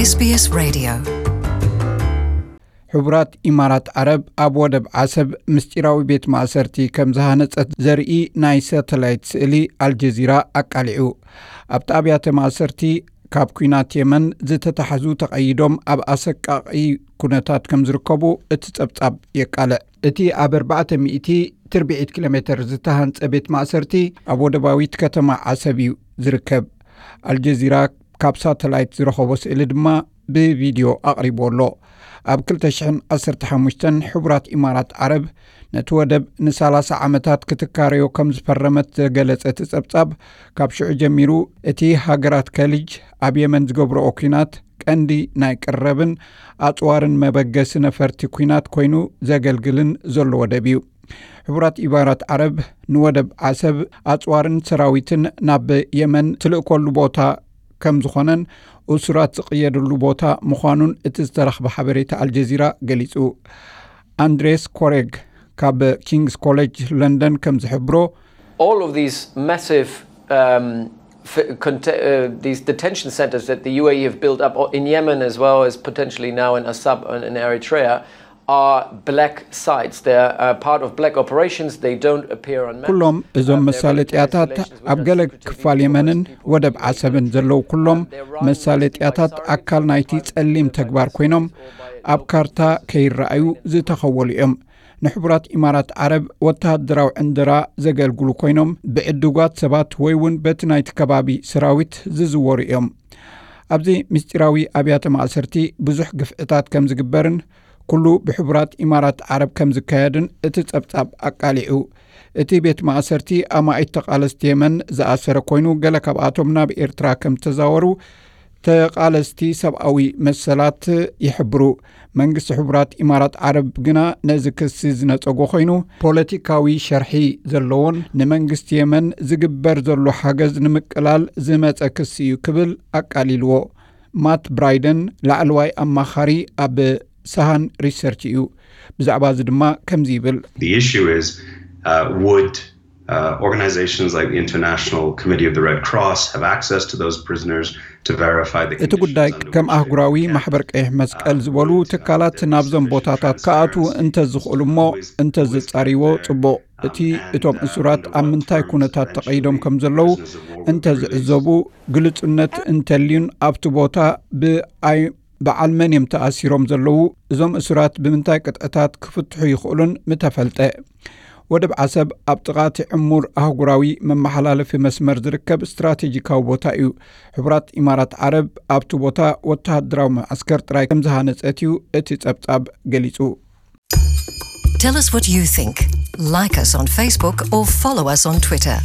SBS Radio. ሕቡራት ኢማራት ዓረብ ኣብ ወደብ ዓሰብ ምስጢራዊ ቤት ማእሰርቲ ከም ዝሃነጸት ዘርኢ ናይ ሳተላይት ስእሊ ኣልጀዚራ ኣቃሊዑ። ኣብቲ ኣብያተ ማእሰርቲ ካብ ኲናት የመን ዝተታሕዙ ተቐይዶም ኣብ ኣሰቃቒ ኩነታት ከም ዝርከቡ እቲ ጸብጻብ የቃልዕ። እቲ ኣብ ኣርባዕተ ሚእቲ ትርብዒት ኪሎ ሜተር ዝተሃንጸ ቤት ማእሰርቲ ኣብ ወደባዊት ከተማ ዓሰብ እዩ ዝርከብ። ኣልጀዚራ ካብ ሳተላይት ዝረኸቦ ስእሊ ድማ ብቪድዮ ኣቕሪቡ ኣሎ። ኣብ ክልተ ሽሕን ዓሰርተ ሓሙሽተን ሕቡራት ኢማራት ዓረብ ነቲ ወደብ ንሰላሳ ዓመታት ክትካረዮ ከም ዝፈረመት ዘገለጸ እቲ ጸብጻብ፣ ካብ ሽዑ ጀሚሩ እቲ ሃገራት ከሊጅ ኣብ የመን ዝገብርኦ ኲናት ቀንዲ ናይ ቅረብን ኣጽዋርን መበገሲ ነፈርቲ ኲናት ኮይኑ ዘገልግልን ዘሎ ወደብ እዩ። ሕቡራት ኢማራት ዓረብ ንወደብ ዓሰብ ኣጽዋርን ሰራዊትን ናብ የመን ትልእከሉ ቦታ ከም ዝኾነን እሱራት ዝቕየድሉ ቦታ ምዃኑን እቲ ዝተረኽበ ሓበሬታ ኣልጀዚራ ገሊጹ። ኣንድሬስ ኮሬግ ካብ ኪንግስ ኮሌጅ ለንደን ከም ዝሕብሮ፣ All of these massive um, f- conte- uh, these detention centers that the U A E have built up o- in Yemen as well as potentially now in Assab and in Eritrea are black sites. They're uh, part of black operations. They don't appear on maps. ኩሎም እዞም መሳለጥያታት ኣብ ገለ ክፋል የመንን ወደብ ዓሰብን ዘለዉ ኩሎም መሳለጥያታት ኣካል ናይቲ ጸሊም ተግባር ኮይኖም ኣብ ካርታ ከይረኣዩ ዝተኸወሉ እዮም። ንሕቡራት ኢማራት ዓረብ ወተሃደራዊ ዕንደራ ዘገልግሉ ኮይኖም፣ ብዕዱጋት ሰባት ወይ እውን በቲ ናይቲ ከባቢ ሰራዊት ዝዝወሩ እዮም። ኣብዚ ምስጢራዊ ኣብያተ ማእሰርቲ ብዙሕ ግፍዕታት ከም ዝግበርን ኩሉ ብሕቡራት ኢማራት ዓረብ ከም ዝካየድን እቲ ጸብጻብ ኣቃሊዑ። እቲ ቤት ማእሰርቲ ኣማኢት ተቓለስቲ የመን ዝኣሰረ ኮይኑ፣ ገለ ካብኣቶም ናብ ኤርትራ ከም ዝተዛወሩ ተቓለስቲ ሰብኣዊ መሰላት ይሕብሩ። መንግስቲ ሕቡራት ኢማራት ዓረብ ግና ነዚ ክሲ ዝነጸጎ ኮይኑ፣ ፖለቲካዊ ሸርሒ ዘለዎን ንመንግስቲ የመን ዝግበር ዘሎ ሓገዝ ንምቅላል ዝመጸ ክሲ እዩ ክብል ኣቃሊልዎ። ማት ብራይደን ላዕለዋይ ኣማኻሪ ኣብ ሳሃን ሪሰርች እዩ። ብዛዕባ እዚ ድማ ከምዚ ይብል። The issue is uh, would uh, organizations like the International Committee of the Red Cross have access to those prisoners to verify the እቲ ጉዳይ ከም ኣህጉራዊ ማሕበር ቀይሕ መስቀል ዝበሉ ትካላት ናብዞም ቦታታት ክኣትዉ እንተዝኽእሉ እሞ እንተዝጻርይዎ ጽቡቕ። እቲ እቶም እሱራት ኣብ ምንታይ ኩነታት ተቐይዶም ከም ዘለዉ እንተዝዕዘቡ፣ ግልጹነት እንተልዩን ኣብቲ ቦታ ብኣይ በዓል መን እዮም ተኣሲሮም ዘለዉ፣ እዞም እሱራት ብምንታይ ቅጥዕታት ክፍትሑ ይኽእሉን ምተፈልጠ። ወደብ ዓሰብ ኣብ ጥቓ እቲ ዕሙር ኣህጉራዊ መመሓላለፊ መስመር ዝርከብ ስትራቴጂካዊ ቦታ እዩ። ሕቡራት ኢማራት ዓረብ ኣብቲ ቦታ ወተሃደራዊ መዓስከር ጥራይ ከም ዝሃነጸት እዩ እቲ ጸብጻብ ገሊጹ። Tell us what you think. Like us on Facebook or follow us on Twitter.